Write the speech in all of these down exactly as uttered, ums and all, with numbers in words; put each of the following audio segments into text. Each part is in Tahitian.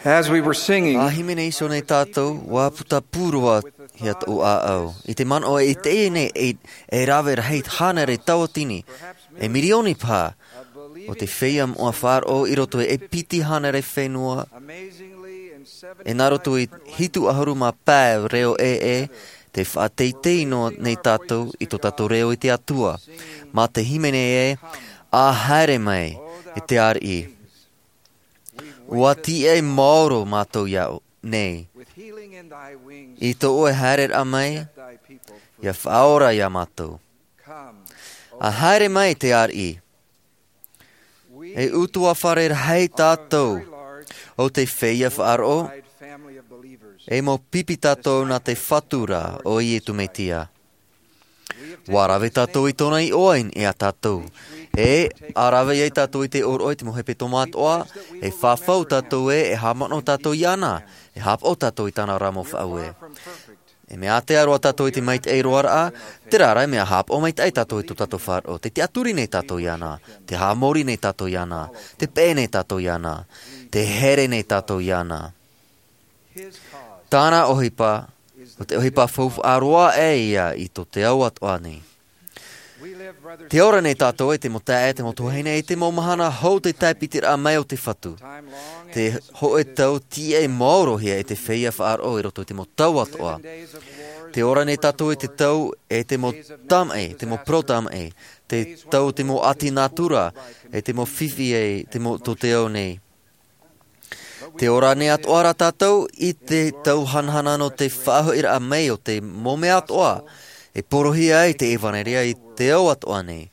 As we were singing, a hīmene iho nei tātou, ua puta pū roa hia tōʻu ʻāʻau. I te manaʻo e teie nei, e, e rave rahi hānere tauatini, e mirioni paha, o te feiā moʻa faʻaroʻo i roto i e piti hānere fenua, e nā roto i hitu ʻahuru mā pae reo ʻē, tē faʻateitei noa nei tātou i tō tātou reo i te Atua. Mā te hīmene ē, ʻA haere mai, e te ariʻi. Ua tiʻa maoro mātou iā ʻoe nei. I tō ʻoe haereraʻa mai, ʻia faʻaora iā mātou. ʻA haere mai, te ariʻi. E ʻutuāfare rahi tātou o te feiā faʻaroʻo, e mau pipi tātou nā te Fatu ra ʻo Iesu Mesia. Ua rave tātou i tōna iʻoa iā tātou. E, ʻa rave ai tātou i te ʻōroʻa i te mau hepetoma atoʻa, e fafau tātou ē, e haʻamanaʻo tātou iāna, e haʻapaʻo tātou i tāna ra mau faʻaue. E mea ātea roa tātou i te maitaʻi roaraʻa, terā rā e mea haʻapaʻo maitaʻi tātou i tō tātou faʻaroʻo, tē tiʻaturi nei tātou iāna, tē haʻamori nei tātou iāna, tē peʻe nei tātou iāna, tē here nei tātou iāna. Tāna ʻohipa, ʻo te ʻohipa faufaʻa roa aʻe ia i tō te ao atoʻa nei. Tē ora nei tātou e te mau taeaʻe, te mau tuahine, i te mau mahana hou te tāpitiraʻa mai o te Fatu. Te hōʻē tau tiʻa maorohia e te feiā faʻaroʻo i roto i te mau tau atoʻa. Tē ora nei tātou i te tau e te mau tamaʻi, te mau parau tamaʻi, te tau te mau ʻati nātura, e te mau fifi e te mau tō te ao nei. Tē ora nei atoʻa rā tātou i te tau hanahana nō te faʻahoʻiraʻa mai o te mau mea atoʻa, e porohia ai te ʻevanelia i te ao atoʻa nei.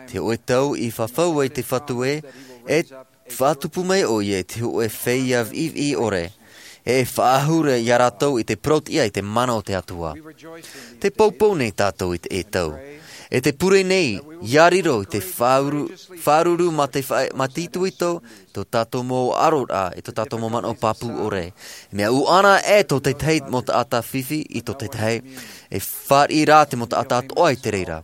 Te hōʻē tau i fafau ai te Fatu ē, e faʻatupu mai ʻoia i te hōʻē feiā viʻiviʻi ʻore, e faʻahou ra iā rātou i te parauʻtiʻa i te mana o te Atua. Tē poupou nei tātou i te ʻetau, e tē pure nei, ʻia riro i te faʻauru-, faʻaruru mā te faʻa-, mā te itoito, tō tātou mau ʻaroraʻa, i tō tātou mau manaʻo pāpū ʻore. Mea ʻuʻana e tō te tahi mau taʻata fifi i tō te tahi, e fāriʻi rā te mau taʻata atoʻa i te reira.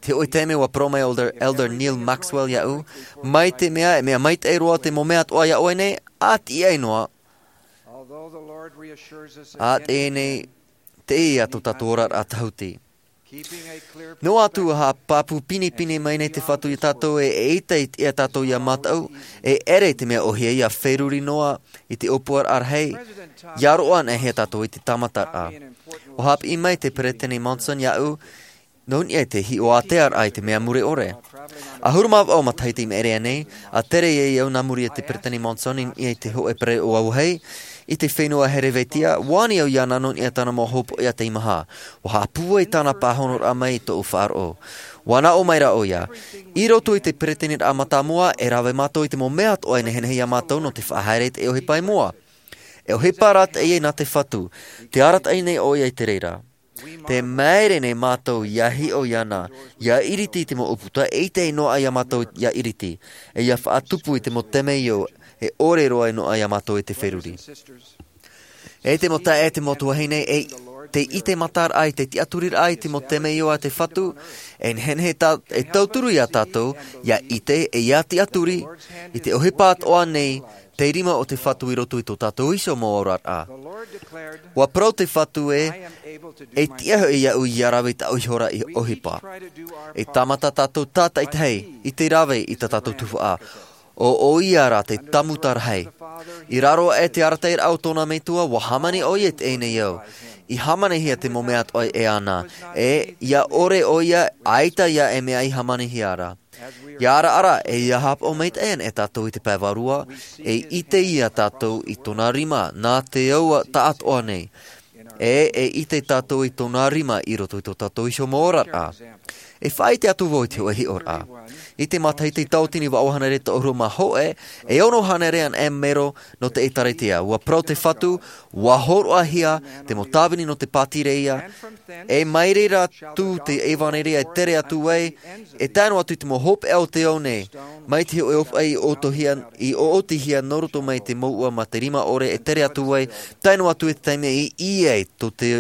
Te hōʻē taime ua parau mai Elder, Elder Neal Maxwell iāʻu, mai te mea, e mea maitaʻi roa te mau mea atoʻa iā ʻoe nei, ʻa tiʻa noa, ʻa teie nei, teie tō tātou oraraʻa tahuti. Noa atu ʻa pāpū pinepine mai nei te Fatu iā tātou e, e ʻita i te, iā tātou ʻia mātau, e ʻere i te mea ʻōhie ʻia feruri noa i te ʻōpuaraʻa rahi, ʻia roaʻa anaʻe hia tātou i te tāmataraʻa. ʻUa haʻapiʻi mai te Peresideni Monson iāʻu, nō niʻa i te hiʻo ātea raʻa i te mea mure ʻore. ʻAhuru mā vaʻu matahiti i maʻiri aʻe nei, ʻa tere ai au nā muri i te Peresideni Monson i niʻa i te hōʻē parau ʻōaʻoa, i te fenua Herevetiā, ʻua ani au iāna nō niʻa i tāna mau hopoiʻa teimaha. ʻUa haʻapūai tāna pāhonoraʻa mai i tōʻu faʻaroʻo. ʻUa nā ʻō mai rā ʻoia, i roto i te Peresideni mātāmua, e rave mātou i te mau mea atoʻa e nehenehe iā mātou nō te faʻahaere i te ʻohipa i mua. E ʻohipa rā teie nā te Fatu, tē arataʻi nei ʻoia i te reira. Tē māere nei mātou ʻia hiʻo iāna, ʻia iriti i te mau ʻūputa, e ʻite noa iā mātou ʻia iriti, e ʻia faʻatupu i te mau temeio, e ʻore roa noa iā mātou i te feruri. E te mau taeaʻe, te mau tuahine, e te ʻite mataraʻa i te tiʻaturiraʻa i te mau temeio a te Fatu, e nehenehe tā, e tauturu iā tātou, ʻia ʻite, e ʻia tiʻaturi, i te ʻohipa atoʻa nei, te rima o te Fatu i roto i tō tātou iho mau oraraʻa. ʻUa parau te Fatu ē, e tiʻa hoʻi iāʻu ʻia rave i tāʻu iho ra ʻohipa. E tāmata tātou tātaʻitahi, i te rave i tā tātou tuhaʻa. ʻO, ʻoia rā te Tāmuta rahi. I raro aʻe te arataʻiraʻa o tōna Metua, ʻua hāmani ʻoia i teie nei ao. I hāmanihia te mau mea atoʻa e ana. E, ʻia ʻore ʻoia, ʻaita ia e mea i hāmanihia ra. ʻIa araara, e ʻia haʻapaʻo maitaʻi ana e tātou i te pae vārua, e ʻite ia tātou i tōna rima, nā te ao taʻatoʻa nei. E, e ʻite tātou i tōna rima i roto i tō tātou iho mau oraraʻa. E faʻaʻite atu vau i te hōʻē hiʻoraʻa. I te matahiti tauatini vaʻu hānere toʻahuru mā hōʻē, e ono hānere anaʻe mero nō te ʻĒtārētia. ʻUa parau te Fatu, ʻua hōroʻahia te mau tāvini nō te pātireia, e mai reira atu te ʻevanelia e tere atu ai, e tae noa atu i te mau hopeʻa o te ao nei, mai te hōʻē ʻōpuaʻi i ʻōtohia, i ʻoʻotihia nō roto mai te mouʻa mā te rima ʻore e tere atu ai, tae noa atu i te taime i ʻī ai tō te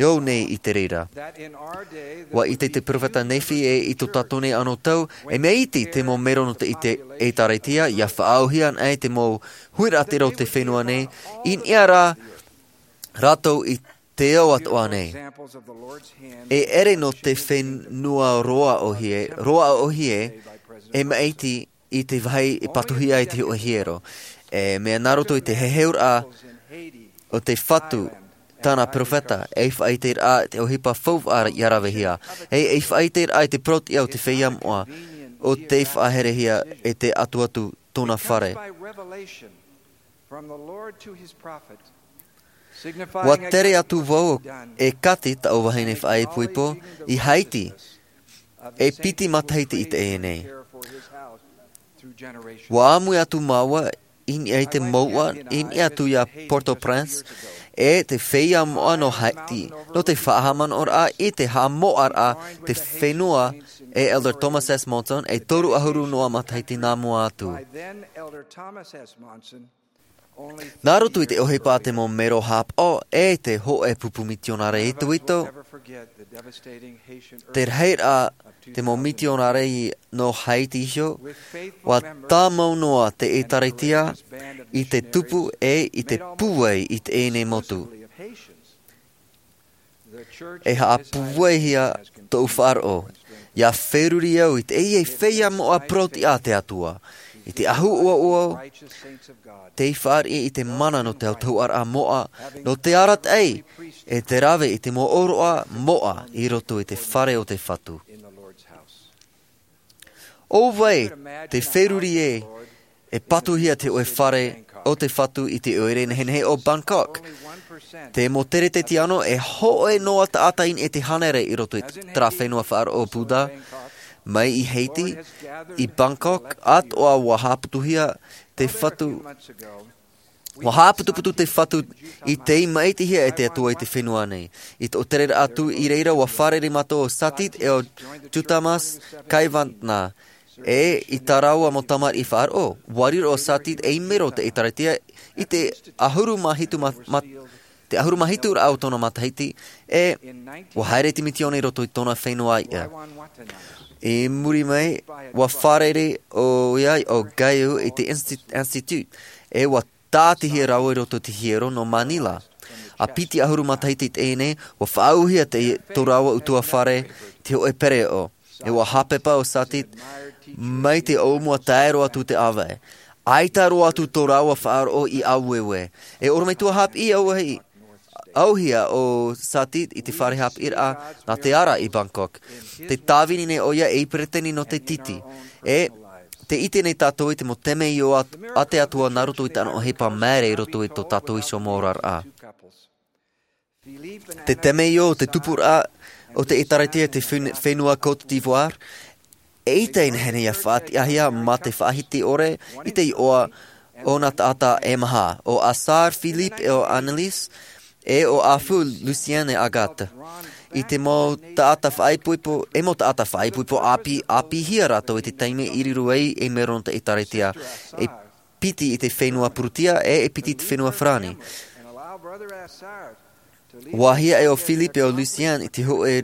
ao nei i te reira. ʻUa ʻite te peropheta Nephi e i tō tātou nei anō tau, e mea iti te mau mero nō te ʻite ʻĒtārētia, ʻia faʻaauhia anaʻe te mau huiraʻatira o te fenua nei, i niʻa rā rātou i te ao atoʻa nei. E ʻere nō te fenua roa ʻōhie, roa ʻōhie, e maʻiti i te vāhi e patuhia ai te hōʻē hiero. E mea nā roto i te heheuraʻa o te Fatu, tāna peropheta, e faʻaʻiteraʻa te ʻohipa faufaʻa ʻia ravehia. E, e faʻaʻiteraʻa i te parau-tiʻa o te feiā moʻa, o te faʻaherehia e te Atua tōna fare. ʻUa tere atu vau e Kati, taʻu vahine faʻaipoipo, i Haiti, e piti matahiti i teie nei. ʻUa ʻāmui atu māua i niʻa i te mouʻa, i niʻa atu iā Port-au-Prince, e te feiā moʻa nō Haiti, nō te faʻahaʻamanaʻoraʻa i te haʻamoʻaraʻa te fenua e Elder Thomas S. Monson, e toru ʻahuru noa matahiti nā mua atu. Nā roto i te ʻohipa a te mau mero haʻapaʻo e te hōʻē pupu mitionare itoito, te rahiraʻa te mau mitionare nō Haiti iho, ʻua tāmau noa te ʻĒtārētia i te tupu e i te pūai i teie nei motu. E haʻapūaihia tōʻu faʻaroʻo, ʻia feruri au i teie feiā moʻa parau-tiʻa a te Atua, i te ʻahu ʻoaʻoa, tei fāriʻi i te mana nō te autahuʻaraʻa moʻa, nō te arataʻi, e te rave i te mau ʻōroʻa moʻa i roto i te fare o te Fatu. ʻO vai te feruri ē, e patuhia te hōʻē fare o te Fatu i te ʻoire nehenehe o Bangkok. Te mau teretete anō, e hōʻē noa taʻata i niʻa i te hānere i roto i terā fenua faʻaroʻo Buddha, mai i Haiti, i Bangkok, atoʻa ʻua haʻaputuhia te Fatu, ʻua haʻaputuputu te Fatu i tei maʻitihia e te Atua i te fenua nei. I tō tereraʻa atu i reira, ʻua fārerei mātou ʻo Satit e ʻo Juthamas Kaivatna, e i tā rāua mau tamariʻi faʻaroʻo. ʻUa riro ʻo Satit ei mero o te ʻĒtārētia i te ʻahuru mā hitu ma-, ma-, te ʻahuru mā hitu raʻa o tōna matahiti, e ʻua haere te mitioni i roto i tōna fenua iʻa. I muri mai, ʻua fārerei ʻoia ʻo Gaiu i te insti-, institute, e ʻua tāʻatihia rāua i roto i te hiero nō Manila. ʻA piti ʻahuru matahiti i teie nei, ʻua faʻaauhia te, tō rāua ʻutuāfare i te hōʻē pereoʻo. E ʻua haʻapepa ʻo Satit, mai te ʻōmua tae roa atu te ʻāvaʻe. ʻAita roa atu tō rāua faʻaroʻo i ʻāueue. E ʻorometua haʻapiʻi ʻauahi, ʻauhia ʻo Satit i te fare haʻapiʻiraʻa nā te ara i Bangkok. Te tāvini nei ʻoia ei peretiteni nō te titi. E te ʻite nei tātou i te mau temeio a, a te Atua nā roto i tāna ʻohipa māere i roto i tō tātou iho mau oraraʻa. Te temeio o te tupuraʻa o te ʻĒtārētia i te fen-, fenua Côte d'Ivoire, eʻita e nehenehe ʻia faʻatiʻahia mā te faʻahiti ʻore i te iʻoa o nā taʻata e maha, ʻo Assar, Philippe, e ʻo Annelise, e ʻo Afu, Lucien e Agathe. I te mau taʻata faʻaipoipo, e mau taʻata faʻaipoipo ʻāpī, ʻāpīhia rātou i te taime i riro ai ei mero nō te ʻĒtārētia, e piti i te fenua Purutia, e, e piti i te fenua Farāni. ʻUa hiaʻai ʻo Philippe e ʻo Lucien i te hoʻi,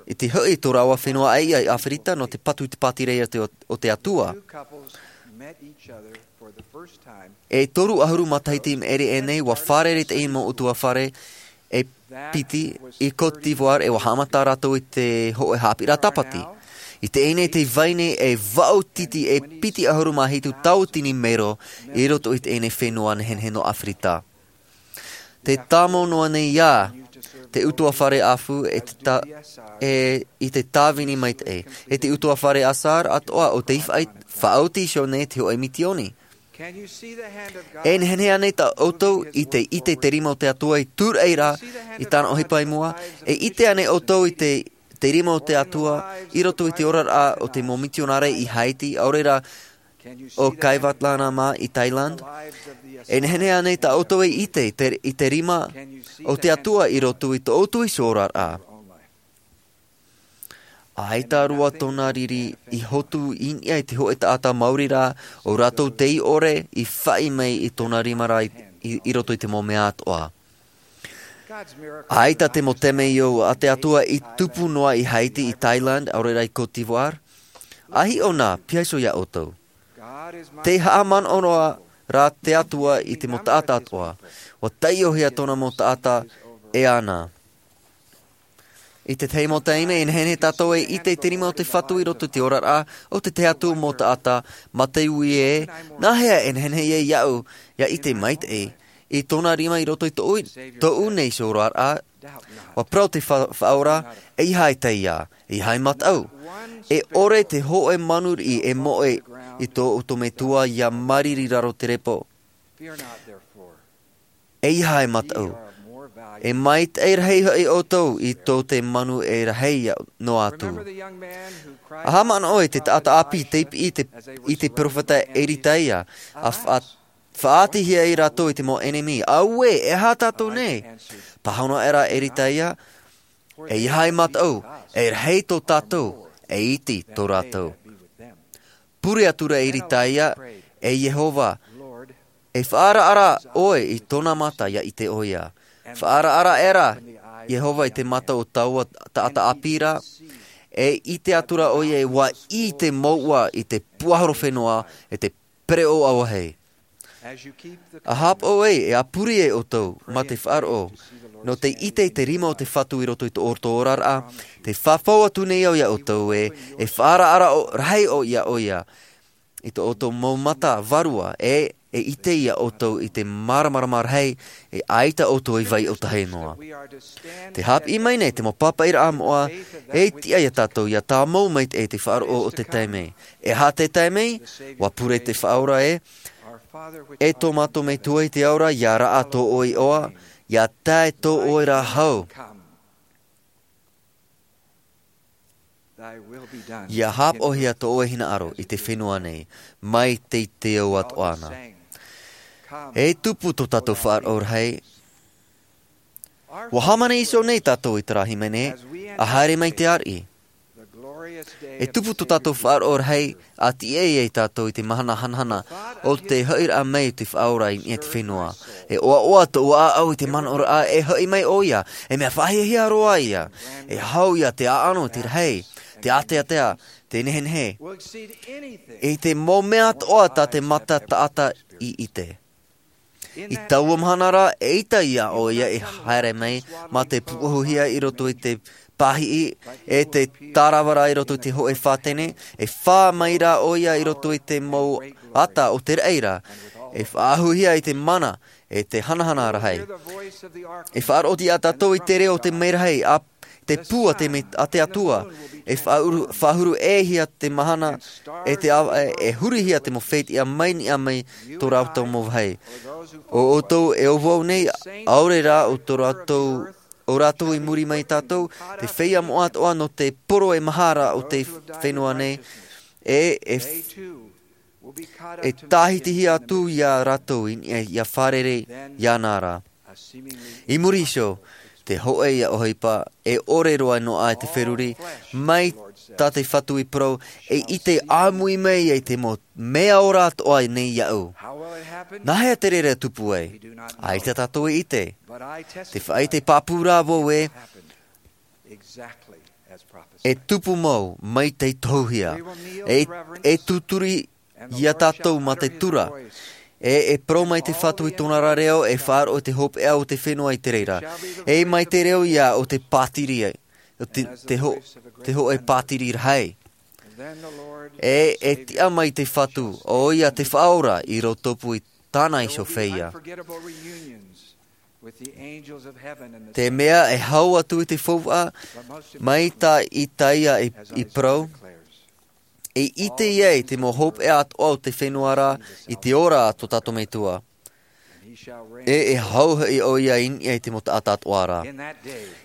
i te hoʻi i tō rāua fenua ʻāiʻa i ʻĀfirita nō te patu i te pātireia o te, o te Atua. E toru ʻahuru matahiti i maʻiri aʻe nei, ʻua fārerei teie mau ʻutuāfare e piti i Côte d'Ivoire, e ʻua haʻamata rātou i te hoʻi haʻapiʻiraʻa tāpati. I teie nei tē vai nei e vaʻu titi e piti ʻahuru mā hitu tauatini mero i roto i teie nei fenua nehenehe nō ʻĀfirita. Tē tāmau noa nei ā te ʻutuāfare Afu e te tā-, e, i te tāvini maitaʻi, e te ʻutuāfare Assar atoʻa ʻo tei faʻa-, faʻaoti iho nei te hoʻi mitioni. E nehenehe ānei tā ʻoutou i te ʻite te rima o te Atua i tūraʻi ra i tāna ʻohipa i mua? E ʻite ānei ʻoutou i te, te rima o te Atua i roto i te oraraʻa o te mau mitionare i Haiti, ʻaore rā ʻo Kaivatlana mā i Thailand? E nehenehe ānei tā ʻoutou e ʻite i te, i te rima o te Atua i roto i tō ʻoutou iho oraraʻa? ʻAita roa tōna riri i hotu i niʻa i te hoʻi taʻata maori rā, ʻo rātou tei ʻore i faʻi mai i tōna rima rā i, i, i roto i te mau mea atoʻa. ʻAita te mau temeio a te Atua i tupu noa i Haiti, i Thailand, ʻaore rā i Côte d'Ivoire. ʻAita ʻōna, piha iho iā ʻoutou. Te haʻamanaʻo noa rā te Atua i te mau taʻata atoʻa. ʻUa taiʻohia tōna mau taʻata e ana. I te tahi mau taime, e nehenehe tātou e ʻite i te rima o te Fatu i roto i te oraraʻa o te tahi atu mau taʻata, mā te ui ē, nāhea e nehenehe ai iāʻu, ʻia ʻite maitaʻi i tōna rima i roto i tōʻu, tōʻu nei oraraʻa? ʻUa parau te fa-, Faʻaora, ʻeiaha e taiā, ʻeiaha e mataʻu. E ʻore te hōʻē manu riʻi e moʻe i tō ʻoutou Metua ʻia māriri i raro te repo. ʻEiaha e mataʻu. E maitaʻi rahi hoʻi ʻoutou i tō te manu e rahi noa atu. ʻA haʻamanaʻo i te taʻata ʻāpī tei piʻi i te, i te peropheta Eritaia, ʻa faʻa-, faʻaʻitehia ai rātou e te mau ʻenemi. Auē, e aha tātou nei? Pāhono aʻera Eritaia, ʻeiaha e mataʻu, e rahi tō tātou, e iti tō rātou. Pure atura Eritaia, e Iehova, e faʻaaraʻara ʻoe i tōna mata ʻia ʻite ʻoia. Faʻaaraʻara aʻera Iehova i te mata o taua taʻata ʻāpī ra, e ʻite atura ʻoia ʻua ʻī te mouʻa i te puahoro fenua, e te pereʻoʻo auahi. ʻA haʻapaʻo ai, e ʻa pure ai ʻoutou, mā te faʻaroʻo, nō te ʻite i te rima o te Fatu i roto i tō ʻoutou oraraʻa, tē faʻaʻite atu nei au iā ʻoutou ē, e faʻaaraʻara ʻo-, rahi ʻoia iā ʻoia i tō ʻoutou mau mata vārua, e, e ʻite iā ʻoutou i te māramarama rahi, e ʻaita ʻoutou e vai ʻōtahi noa. Tē haʻapiʻi mai nei te mau pāpaʻiraʻa moʻa, e tiʻa iā tātou ʻia tāmau maitaʻi i te faʻaroʻo o te taime. E aha te taime? ʻUa pure te Faʻaora ē, e tō mātou Metua i te ao ra, ʻia raʻa tō ʻoe iʻoa, ʻia tae tō ʻoe ra hau. ʻIa haʻapaʻohia tō ʻoe hinaʻaro i te fenua nei, mai te, te ao atoʻa na. E tupu tō tātou faʻaroʻo rahi. ʻUa hāmani iho nei tātou i terā hīmene, ʻa haere mai te ariʻi. E tupu tō tātou faʻaroʻo rahi, ʻa tiʻa ai tātou i te mahana hanahana o te hoʻiraʻa mai o te Faʻaora i niʻa i te fenua. E ʻoaʻoa tō ʻoe ʻāʻau i te manaʻoraʻa, e hoʻi mai ʻoia, e mea faʻahiahia roa ïa, e hau ïa te ʻaʻano, te rahi, te āteatea, te nehenehe. I te mau mea atoʻa tā te mata taʻata i ʻite. I taua mahana ra, eʻita ïa ʻoia e haere mai, mā te pūʻohuhia i roto i te pāhiʻi, e te tāravara i roto i te hōʻē fātene, e fā mai rā ʻoia i roto i te mau ata o te raʻi ra, e faʻahuhia i te mana, e te hanahana rahi. E faʻaroʻo ïa tātou i te reo o te merahi, ʻa te pū a te me-, a te Atua, e faʻahuru, faʻahuru ʻē hia te mahana, e te ava, e, e hurihia te mau fētiʻa mai niʻa mai tō rātou mau vāhi. ʻO ʻoutou e ʻo vau nei, ʻaore rā ʻo tō rātou, ʻo rātou i muri mai tātou, te feiā moʻa atoʻa nō te poro e maha ra o te fenua nei, e, e, e tāhitihia atu ïa rātou i, e, ʻia fārerei iāna ra. I muri iho, te hōʻē ïa ʻohipa, e ʻore roa noa te feruri, mai tā te Fatu i parau, e ʻite ʻāmui mai ai te mau mea ora atoʻa nei iāʻu. Nāhea te reira e tupu ai? ʻAita tātou e ʻite. Te faʻaʻite pāpū rā vau ē, e tupu mau, mai tei tohuhia. E, e tūturi ïa tātou mā te tura. E, e parau mai te Fatu i tōna ra reo, e faʻaroʻo i te hopeʻa o te fenua i te reira. E mai te reo ïa o te pātiri, o te, te ho-, te hōʻē pātiri rahi. E, e tiʻa mai te Fatu, ʻoia te Faʻaora i rotopū i tāna iho feiā. Te mea e hau atu i te faufaʻa, mai tā Isaia i, i parau, e ʻite ïa i te mau hopeʻa atoʻa o te fenua ra, i te ora a tō tātou Metua. E, e hau hoʻi ʻoia i niʻa i te mau taʻata atoʻa ra.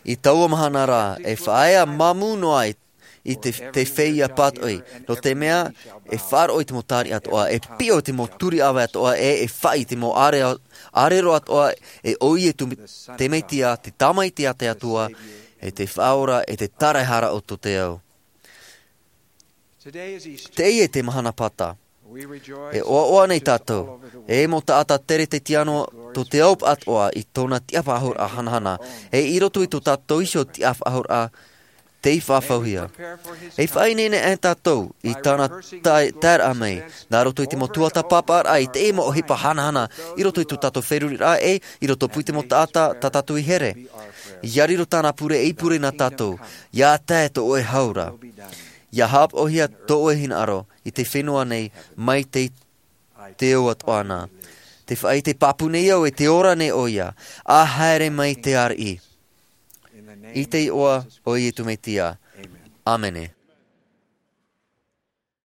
I taua mahana ra, e faʻaea māmū noa i, i te, te feiā pātoʻi. Nō te mea, e faʻaroʻo i te mau tāriʻi atoʻa, e piʻo i te mau turi ʻāvae atoʻa, e, e faʻaʻī i te mau ʻāre-, ʻārero atoʻa, e ʻo ia te, te Mesia, te Tamaiti a te Atua, e te Faʻaora, e te Taraehara o tō te ao. Teie te mahana Pāta. E ʻoaʻoa nei tātou, e mau taʻata Kerisetiano tō te ao pāʻatoʻa i tōna tiʻafaʻahouraʻa hanahana, e i roto i tō tātou iho tiʻafaʻahouraʻa tei faʻahouhia. E faʻaineine ʻē tātou i tāna tae-, taeraʻa mai, nā roto i te mau tuatāpaparaʻa i te mau ʻohipa hanahana, i roto i tō tātou feruriraʻa ʻē, i roto pū i te mau taʻata tā tātou i here. ʻIa riro tāna pure ei pure nā tātou, ʻia tae tō ʻoe hau ra. ʻIa haʻapaʻohia tō ʻoe hinaʻaro i te fenua nei mai te te ʻoa toʻana. Te faʻaʻite pāpū nei au e te ora nei ʻoia, ʻa haere mai te ariʻi. I te iʻoa o Iesu Mesia. ʻĀmene.